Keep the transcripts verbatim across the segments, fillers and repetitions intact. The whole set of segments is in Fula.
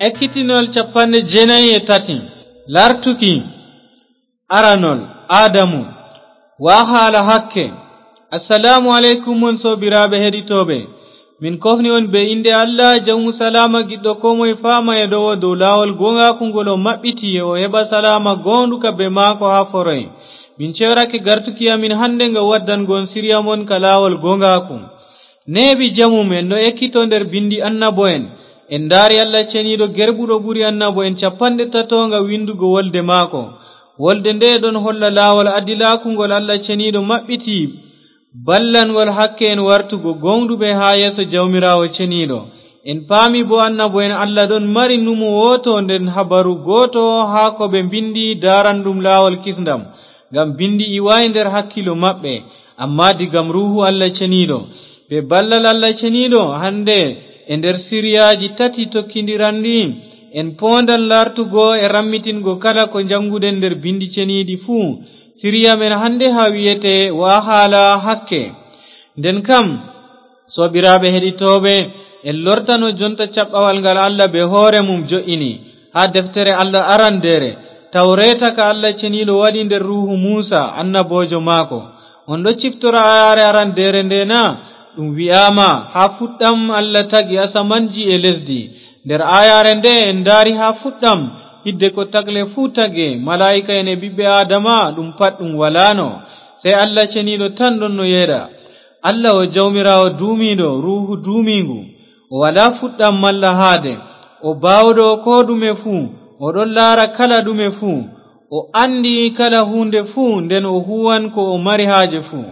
Ekkitinol capanɗe jeenayi e tati. Lartuki aranol. Aadamu. Wa haala hakke. Assalaamu aleykum, mon soobiraaɓe heɗitooɓe. Min kofni on bee innde Allah, jawmu salaama, giɗɗo koo moye faama e ɗowo dow laawol gooŋgaaku ngol o maɓɓiti, o heɓa salaama gooŋɗuka bee maako haa foroy. Min ceyorake gartuki amin hannde ngam waddango on siriya mon ka laawol gooŋgaaku. Neeɓi jamum, en ɗo ekkito nder binndi annabo'en. En ndaari Allah ceniiɗo gerɓuɗo ɓuri annabo'en capanɗe tato ngam winndugo wolde maako. Wolde nde ɗon holla laawol adilaaku ngol Allah ceniiɗo maɓɓiti, ballangol hakke en wartugo gooŋɗuɓe haa yeeso Jawmiraawo ceniiɗo. En paami boo annabo'en Allah ɗon mari numo wooto nden habaru gooto haa ko ɓe mbinndi daaranɗum laawol kisndam, ngam binndi iwaay nder hakkiilo maɓɓe, ammaa digam Ruuhu Allah ceniiɗo. Bee ballal Allah ceniiɗo, hannde e nder siriyaaji tati tokkindiranɗi, en poondan laartugo e rammitingo kala ko njannguɗen nder binndi ceniiɗi fuu. Siriya men hannde haa wi'etee wa haala hakke. Nden kam, soobiraaɓe heɗitooɓe, en lortano jonta caɓɓawal ngal Allah bee hoore mum jo'ini haa deftere Allah arandeere, Tawreeta ka Allah ceniiɗo waɗi nder ruuhu Muusa, annaboojo maako. On ɗo ciftora aayaare arandeere nde na? Ɗum wi'aama, haa fuɗɗam Allah tagi asamanji e lesdi. Nder aayaare nde en ndaari haa fuɗɗam, hidde ko tagle fuu tage, malaa'ika'en e ɓiɓɓe Aadama, ɗum pat ɗum walaano. Sey Allah ceniiɗo tan ɗonno yeeɗa. Allah o Jawmiraawo duumiiɗo, Ruuhu duumiiŋgu. O walaa fuɗɗam malla haade. O baawɗo koo ɗume fuu. O ɗon laara kala ɗume fuu. O anndi kala huunde fuu, nden o huuwan ko o mari haaje fuu.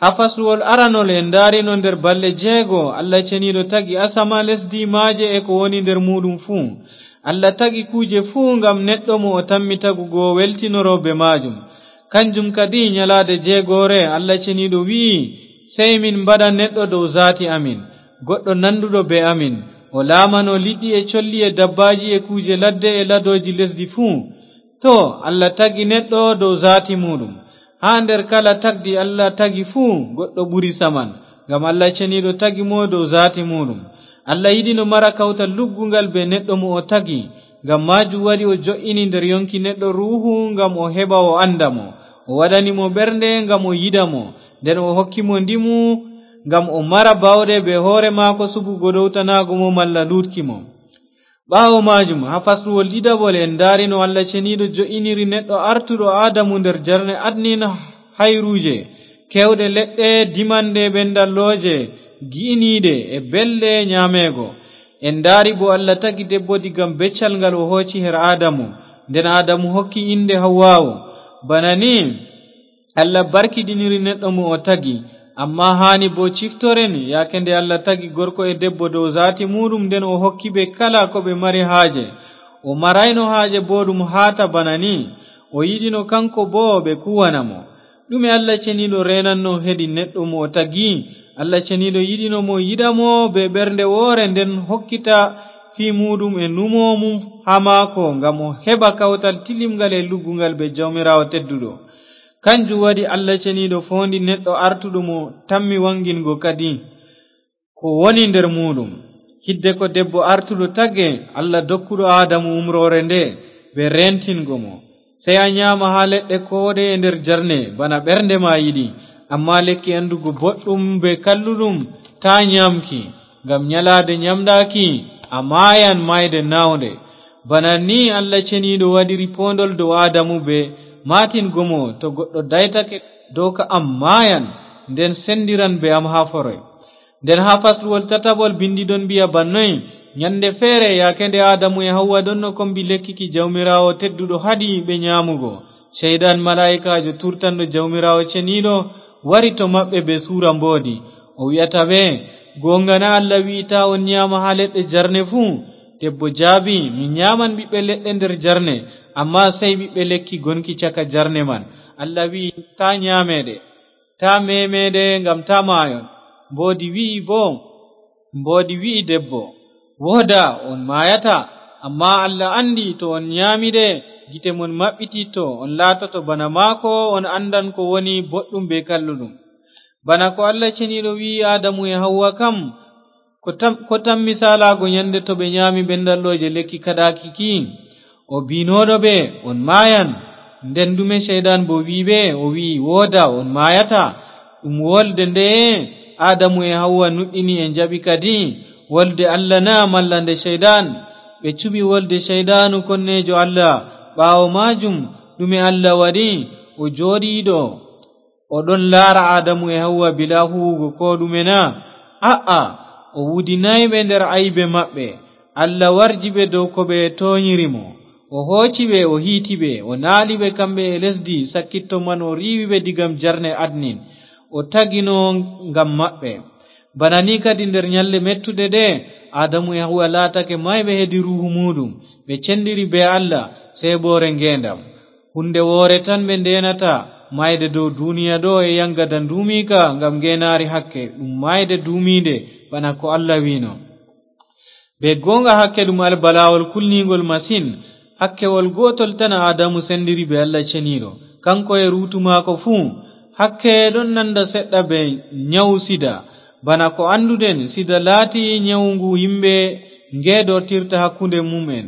Haa fasluwol aranol en ndaarino nder balɗe jeego, Allah ceniiɗo tagi asama, lesdi, maaje e ko woni nder muuɗum fuu. Allah tagi kuuje fuu ngam neɗɗo mo o tammi tagugo weltinoro bee maajum. Kanjum kadi, nyalaade jeegoore, Allah ceniiɗo wi'i, sey min mbaɗa neɗɗo dow zaati amin, goɗɗo nanduɗo bee amin. O laamano liɗɗi e colli e dabbaaji e kuuje ladde e ladooji lesdi fuu. To, Allah tagi neɗɗo dow zaati muuɗum. Haa nder kala tagdi Allah tagi fuu, goɗɗo ɓuri saman, ngam Allah ceniiɗo tagi mo dow zaati muuɗum. Allah yiɗino mara kawtal lugguŋgal bee neɗɗo mo o tagi. Ngam maajum waɗi o jo'ini nder yonki neɗɗo ruuhu ngam o heɓa o annda mo. O waɗani mo ɓernde ngam o yiɗa mo. Nden o hokki mo ndimu ngam o mara baawɗe bee hoore maako suɓugo ɗowtanaago mo malla luutki mo. Ɓaawo maajum, haa fasluwol ɗiɗaɓol en ndaari no Allah ceniiɗo jo'iniri neɗɗo artuɗo Aadamu nder jarne adnin hayruuje, keewɗe leɗɗe, dimanɗe, ɓendallooje, gi'iniiɗe e belɗe nyaameego. En ndaari boo Allah tagi debbo diga beccal ngal o hooci her Aadamu. Nden Aadamu hokki innde Hawwaawu. Bana ni Allah barkiɗiniri neɗɗo mo o tagi. Ammaa haani boo ciftoren, yaake nde Allah tagi gorko e debbo dow zaati muuɗum, nden o hokki ɓe kala ko ɓe mari haaje. O marayno haaje booɗɗum haata bana ni. O yiɗino kaŋko boo ɓe kuuwana mo. Ɗume Allah ceniiɗo reenanno hedi neɗɗo mo o tagi? Allah ceniiɗo yiɗino mo, yiɗa mo bee ɓernde woore, nden hokkita fii muuɗum e numo mum haa maako, ngam o heɓa kawtal tilimngal e lugguŋgal bee Jawmiraawo tedduɗo. Kanjum waɗi Allah ceniiɗo foondi neɗɗo artuɗo mo tammi waŋgingo kadi ko woni nder muuɗum. Hidde ko debbo artuɗo tagi, Allah dokkuɗo Aadamu umroore nde bee reentingo mo, sey a nyaama haa leɗɗe kooɗeye nder jarne bana ɓernde ma yiɗi. Ammaa lekki anndugo boɗɗum bee kalluɗum, taa nyaamki, ngam nyalaade nyaamɗaaki a maayan maayde naawnde. Bana ni Allah ceniiɗo waɗiri poondol dow Aadamu bee maatingo mo, to goɗɗo daytake dow ka am maayan, nden senndiran bee am haa foroy. Nden haa fasluwol tataɓol binndi ɗon mbi'a bannoy, nyannde feere, yaake nde Aadamu e Hawwa ɗonno kombi lekki ki Jawmiraawo tedduɗo haɗi ɓe nyaamugo, Ceyɗan, malaa'ikaajo turtanɗo Jawmiraawo ceniiɗo, wari to maɓɓe bee suura mboodi. O wi'ata ɓe, gooŋga na Allah wi'i taa on nyaama haa leɗɗe jarne fuu? Debbo jaabi, min nyaaman ɓiɓɓe leɗɗe nder jarne, ammaa sey ɓiɓɓe lekki gonki caka jarne man. Allah wi'i, taa nyaame ɗe, taa meeme ɗe ngam taa maayon. Mboodi wi'i boo, Mboodi wi'i debbo, woodaa, on maayataa. Ammaa Allah anndi to on nyaami ɗe, gite mon maɓɓititto, on laatoto bana maako, on anndan ko woni boɗɗum bee kalluɗum. Bana ko Allah ceniiɗo wi'i Aadamu e Hawwa kam, Ko tam, ko tammi saalaago ɲande to ɓe ɲaami ɓenndallooje lekki kaɗaaki ki? O biinooɗo ɓe, "On maayan." Nden ɗume Ceyɗan boo wi'i ɓe? O wi'i, "Woodaa, on maayataa." Ɗum wolde ndeye Aadamu e Hawwa nuɗɗini e njaɓi kadi? Wolde Allah na malla nde Ceyɗan? Ɓe cuɓi wolde Ceyɗaanu konneejo Allah. Ɓaawo maajum, ɗume Allah waɗi? O jooɗiiɗo, o ɗon laara Aadamu e Hawwa bilaa huuwugo koo ɗume na? A'a, o wudinaay ɓe nder aybe maɓɓe. Allah warji ɓe dow ko ɓe tooɲiri mo. O hooci ɓe, o hiiti ɓe, o naali ɓe kamɓe e lesdi sakkitto man, o riiwi ɓe digam jarne Adnin, o tagino ngam maɓɓe. Bana ni kadi nder ɲalɗe mettuɗe ɗe, Aadamu e Hawwa laatake maayɓe hedi ruuhu muuɗum, ɓe cendiri bee Allah, sey boore ngeendam. Huunde woore tan ɓe ndeenata, maayde dow duuniya ɗo e yaŋgada nduumiika ngam ngeenaari hakke, ɗum maayde duumiinde bana ko Allah wi'no. Bee gooŋga hakke ɗum albalaawol kulniiŋgol masin, hakkewol gootol tan Aadamu sendiri bee Allah Ceniiɗo, kaŋko e ruutu maako fuu. Hakke ɗon nanda seɗɗa bee nyawu sida, bana ko annduɗen, sida laati nyawu ngu yimɓe ngeedortirta hakkunde mum'en.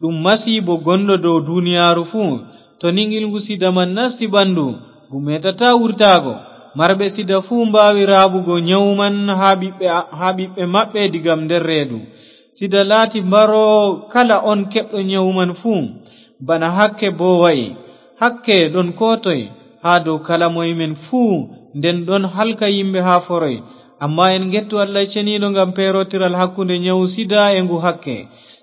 Ɗum masiibo gonɗo dow duniyaaru fuu. To ni ngilngu sida man nasti ɓandu, ngu meetataa wurtaago. Marɓe sida fuu mbaawi raaɓugo nyawu man haa ɓiɓɓe, haa ɓiɓɓe maɓɓe digam nder reedu. Sida laati mbaroowo kala on keɓɗo nyawu man fuu. Bana hakke boo wa'i. Hakke ɗon koo toy, haa dow kala moy men fuu, nden ɗon halka yimɓe haa foroy. Ammaa en ngettu Allah Ceniiɗo ngam peerotiral hakkunde nyawu sida e ngu hakke.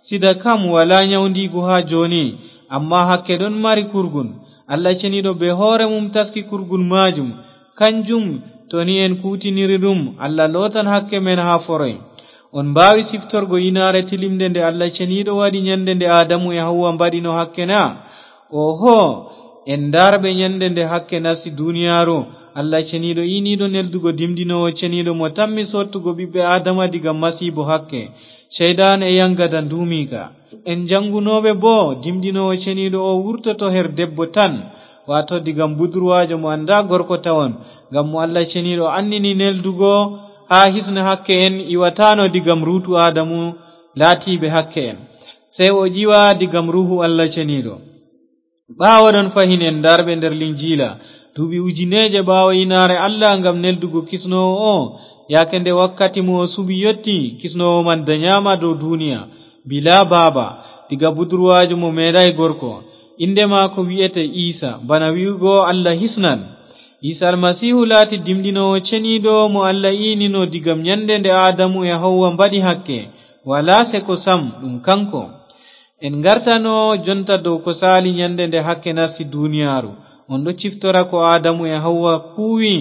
Sida kam walaa nyawndiigu haa jooni, ammaa hakke ɗon mari kurgun. Allah Ceniiɗo bee hoore mum taski kurgun maajum. Kanjum, to ni en kuutiniri ɗum, Allah lootan hakke men haa foroy. On mbaawi siftorgo inaare tilimnde nde Allah Ceniiɗo waɗi ɲande nde Aadamu e Hawwa mbaɗino hakke na? Oho, en ndaarɓe ɲande nde hakke nasti duniyaaru. Allah Ceniiɗo iiniiɗo neldugo dimdinoowo ceniiɗo mo tammi soottugo ɓiɓɓe Aadama diga masiibo hakke, Ceyɗan e yaŋgada nduumiika. En jaŋgunooɓe boo, dimdinoowo ceniiɗo o wurtoto her debbo tan, waato diga budurwaajo mo anndaa gorko tawon, ngam mo Allah Ceniiɗo annini neldugo haa hisna hakke en, iwataano diga ruutu Aadamu laatiiɓe hakke en. Sey o ƴiwa diga ruuhu Allah Ceniiɗo. Ɓaawo ɗon fahin en ndaarɓe nder Linjiila, duuɓi ujineeje ɓaawo inaare Allah ngam neldugo kisnoowo o, yaake nde wakkati mo o suɓi yotti, kisnoowo man danyaama dow duuniya, bilaa baaba, diga budurwaajo mo meeɗaay gorko. Innde maako wi'ete Iisa, bana wi'ugo Allah hisnan. Iisa Almasiihu laati dimdinoowo ceniiɗo mo Allah iinino diga ɲande nde Aadamu e Hawwa mbaɗi hakke, walaa seko sam ɗum kaŋko. En ngartano jonta dow ko saali ɲande nde hakke nasti duniyaaru. On ɗo ciftora ko Aadamu e Hawwa kuuwi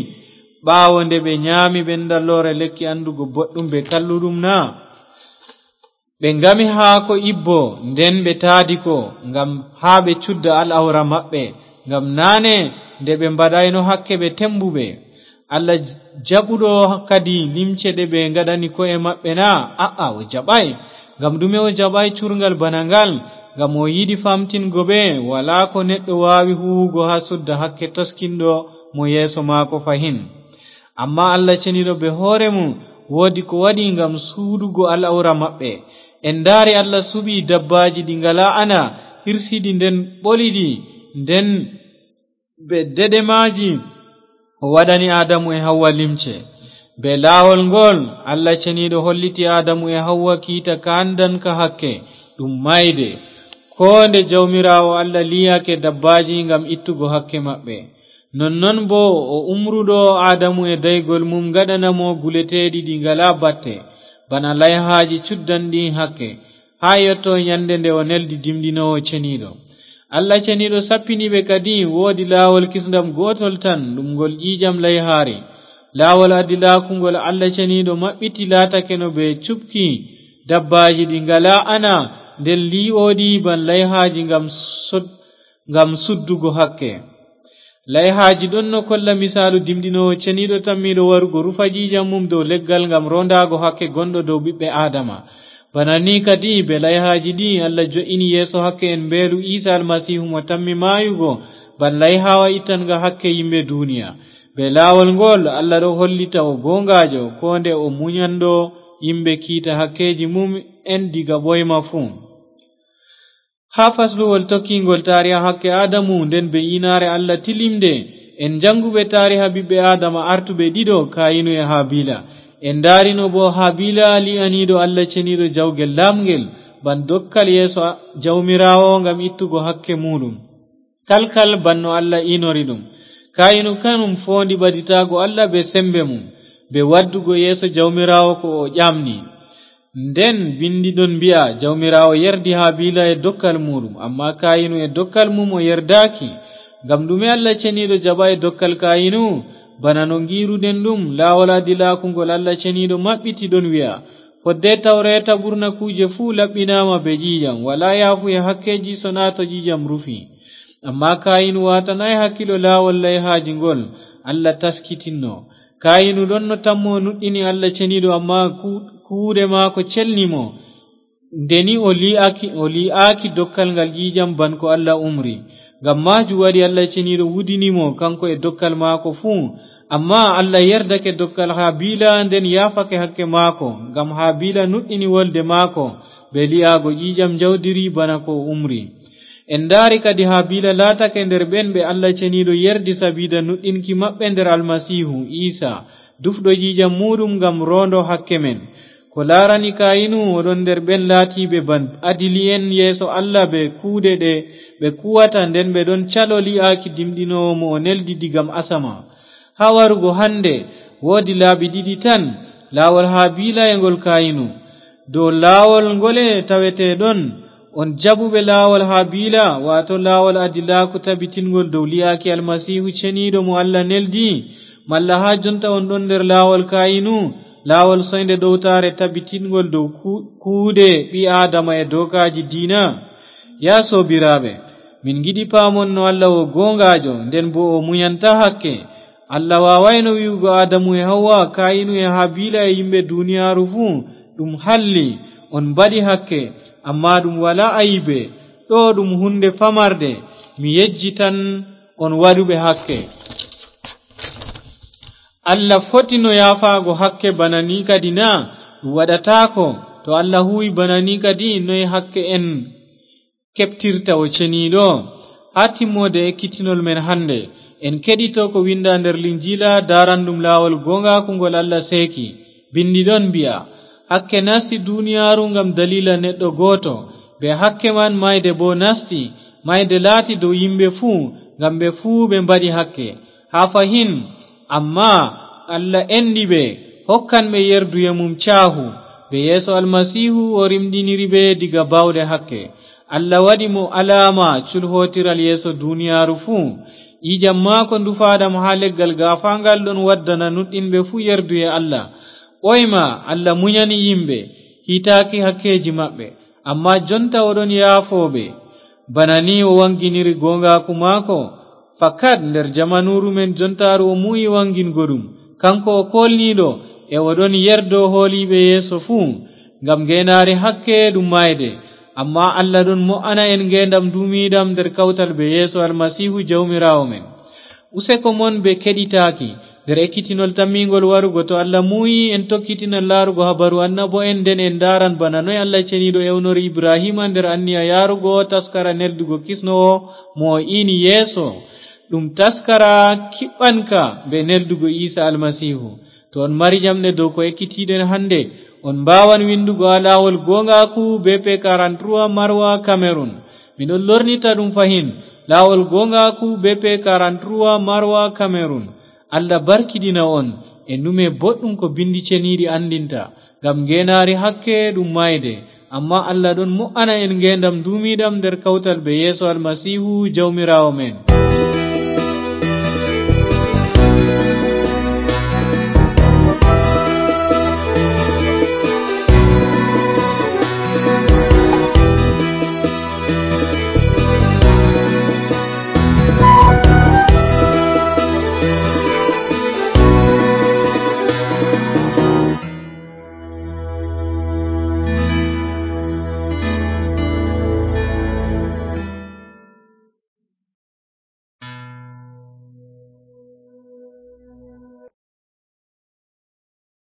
ɓaawo nde ɓe nyaami ɓenndalloore lekki anndugo boɗɗum bee kalluɗum na? Ɓe ngami haako ibbo, nden ɓe taadi ko, ngam haa ɓe cudda al'awra maɓɓe, ngam naane nde ɓe mbaɗayno hakke ɓe tembuɓe. Allah jaɓuɗo kadi limce ɗe ɓe ngaɗani ko'e maɓɓe na? A'a, o jaɓaay. Ngam ɗume o jaɓaay curŋgal bana ngal? Ngam o yiɗi famtingo ɓe, walaa ko neɗɗo waawi huuwugo haa sudda hakke toskinɗo mo yeeso maako fahin. Ammaa Allah ceniiɗo bee hoore mum woodi ko waɗi ngam suuɗugo al'awra maɓɓe. En ndaari Allah suɓi dabbaaji ɗi ngalaa ana, hirsi ɗi nden ɓoli ɗi, nden bee deɗe maaji, o waɗani Aadamu e Hawwa limce. Bee laawol ngol, Allah ceniiɗo holliti Aadamu e Hawwa kiita kaandanka hakke, ɗum maayde. Koo nde Jawmiraawo Allah lii'ake dabbaaji ngam ittugo hakke maɓɓe, nonnon boo o umruɗo Aadamu e daygol mum ngaɗana mo guleteeɗi ɗi ngalaa batte, bana layhaaji cuddanɗi hakke, haa yotto ɲande nde o neldi dimɗinoowo ceniiɗo. Allah ceniiɗo sappini ɓe kadi, woodi laawol kisndam gootol tan, ɗum ngol ƴiiƴam layhaari. Laawol adilaaku ngol Allah ceniiɗo maɓɓiti laatakeno bee cuɓki dabbaaji ɗi ngalaa ana, nden lii'ooɗi ban layhaaji ngam sod-, ngam suddugo hakke. Layhaaji ɗon no kolla misaalu dimɗinoowo ceniiɗo tammiiɗo warugo rufa ƴiiƴam mum dow leggal ngam roondaago hakke gonɗo dow ɓiɓɓe Aadama. Bana ni kadi, bee layhaaji ɗi Allah jo'ini yeeso hakke en mbeelu Iisa Almasiihu mo tammi maayugo, ban layhaawa ittanga hakke yimɓe duuniya. Bee laawol ngol, Allah ɗo hollita o gooŋgaajo, koo nde o munyando yimɓe kiita hakkeeji mum en diga ɓoyma fuu. Haa fasluwol tokkiingol taariha hakke Aadamu, nden be iinaare Allah tilimde, en njannguɓe taariha ɓiɓɓe Aadama artuɓe ɗiɗo, Kaayinu e Habiila. En ndaarino boo Habiila lii'aniiɗo Allah ceniiɗo jawgel laamngel, ban dokkal yeeso a-, Jawmiraawo ngam ittugo hakke muuɗum. Kalkal ban no Allah iinori ɗum. Kaayinu kanum foondi ɓaditaago Allah be semmbe mum, be waddugo yeeso Jawmiraawo ko o ƴamni. Nden binndi ɗon mbi'a, Jawmiraawo yerdi Habiila e dokkal muuɗum, ammaa Kaayinu e dokkal mum o yerdaaki. Ngam ɗume Allah ceniiɗo jaɓaay dokkal Kaayinu? Bana no ngiiruɗen ɗum, laawol adilaaku ngol Allah ceniiɗo maɓɓiti ɗon wi'a, fodde Tawreeta ɓurna kuuje fuu laɓɓinaama be ƴiiƴam, walaa yaafuye hakkeeji sonaa to ƴiiƴam rufi. Ammaa Kaayinu waatanaay hakkiilo laawol layhaaji ngol Allah taskitinno. Kaayinu ɗon no tammo nuɗɗini Allah ceniiɗo, ammaa ku-, kuuɗe maako celni mo. Nde ni o lii'aaki, o lii'aaki dokkal ngal ƴiiƴam ban ko Allah umri. Ngam maajum waɗi Allah ceniiɗo wudini mo, kanko e dokkal maako fuu. Ammaa Allah yerdake dokkal Habiila, nden yaafake hakke maako, ngam Habiila nuɗɗini wolde maako, be lii'aago ƴiiƴam njawdiri bana ko o umri. En ndaari kadi Habiila laatake nder ɓen ɓe Allah ceniiɗo yerdi sabiida nuɗɗinki maɓɓe nder Almasiihu Iisa, dufɗo ƴiiƴam muuɗum ngam roondo hakke men. Ko laarani Kaayinu, o ɗon nder ɓen laatiiɓe ban adili'en yeeso Allah be kuuɗe ɗe ɓe kuwata, nden ɓe ɗon calo lii'aaki dimɗinoowo mo o neldi digam asama. Haa warugo hannde, woodi laabi ɗiɗi tan, laawol Habiila e ngol Kaayinu. Dow laawol ngole taweteɗon, on jaɓuɓe laawol Habiila, waato laawol adilaaku tabitingol dow lii'aaki Almasiihu ceniiɗo mo Allah neldi? Malla haa jonta on ɗon nder laawol Kaayinu, laawol soynde ɗowtaare tabitingol dow ku-, kuuɗe ɓii Aadama e dookaaji diina? Yaa soobiraaɓe, min ngiɗi paamon no Allah o gooŋgaajo, nden boo o munyanta hakke. Allah waawaayno wi'ugo Aadamu e Hawwa, Kaayinu e Habiila e yimɓe duniyaaru fuu, ɗum halli, on mbaɗi hakke, ammaa ɗum walaa ayibe. Ɗo ɗum huunde famarde, mi yejjitan on waɗuɓe hakke. Allah fotino yaafaago hakke bana ni kadi na? Ɗum waɗataako. To Allah huuwi bana ni kadi, noy hakke en keɓtirta o ceniiɗo? Haa timmoode ekkitinol men hannde, en keɗito ko winnda nder Linjiila daaranɗum laawol gooŋgaaku ngol Allah seeki. Binndi ɗon mbi'a, hakke nasti duniyaaru ngam daliila neɗɗo gooto, be hakke man mayde boo nasti, mayde laati dow yimɓe fuu, ngam ɓe fuu ɓe mbaɗi hakke. Haa fahin, ammaa Allah enɗi ɓe, hokkan ɓe yerduye mum caahu, be yeeso Almasiihu o rimɗiniri ɓe diga baawɗe hakke. Allah waɗi mo alaama culhootiral yeeso duniyaaru fuu. Ƴiiƴam maako ndufaaɗam haa leggal gaafaaŋgal ɗon waddana nuɗɗinɓe fuu yerduye Allah. Ɓooyma Allah munyani yimɓe, hiitaaki hakkeeji maɓɓe, ammaa jonta o ɗon yaafo ɓe. Bana ni o waŋginiri gooŋgaaku maako. Fakat nder jamanuuru men jontaaru o muuyi waŋgingo ɗum. Kanko o koolniiɗo, e o ɗon yerdo hooliiɓe yeeso fuu. Ngam ngeenaari hakke ɗum maayde, ammaa Allah ɗon mo'ana en ngeendam duumiiɗam nder kawtal bee Yeesu Almasiihu Jawmiraawo men. Useko mon bee keɗitaaki, nder ekkitinol tammiiŋgol warugo, to Allah muuyi, en tokkitinan laarugo habaru annabo'en, nden en ndaaran bana noy Allah ceniiɗo ewnori Ibrahiima nder anniya yaarugo taskara neldugo kisnoowo mo o iini yeeso. Ɗum taskara kiɓɓanka bee neldugo Iisa Almasiihu. To on mari ƴamɗe dow ko ekkitiiɗen hannde, on mbaawan winndugo haa laawol gooŋgaaku B P quarante-trois Marwa, Cameroon. Miɗon lornita ɗum fahin, laawol gooŋgaaku B P quarante-trois Marwa, Cameroon. Allah barkiɗina on e nume boɗɗum ko binndi ceniiɗi anndinta, ngam ngeenaari hakke ɗum maayde, ammaa Allah ɗon mo'ana en ngeendam duumiiɗam nder kawtal bee Yeesu Almasiihu Jawmiraawo men.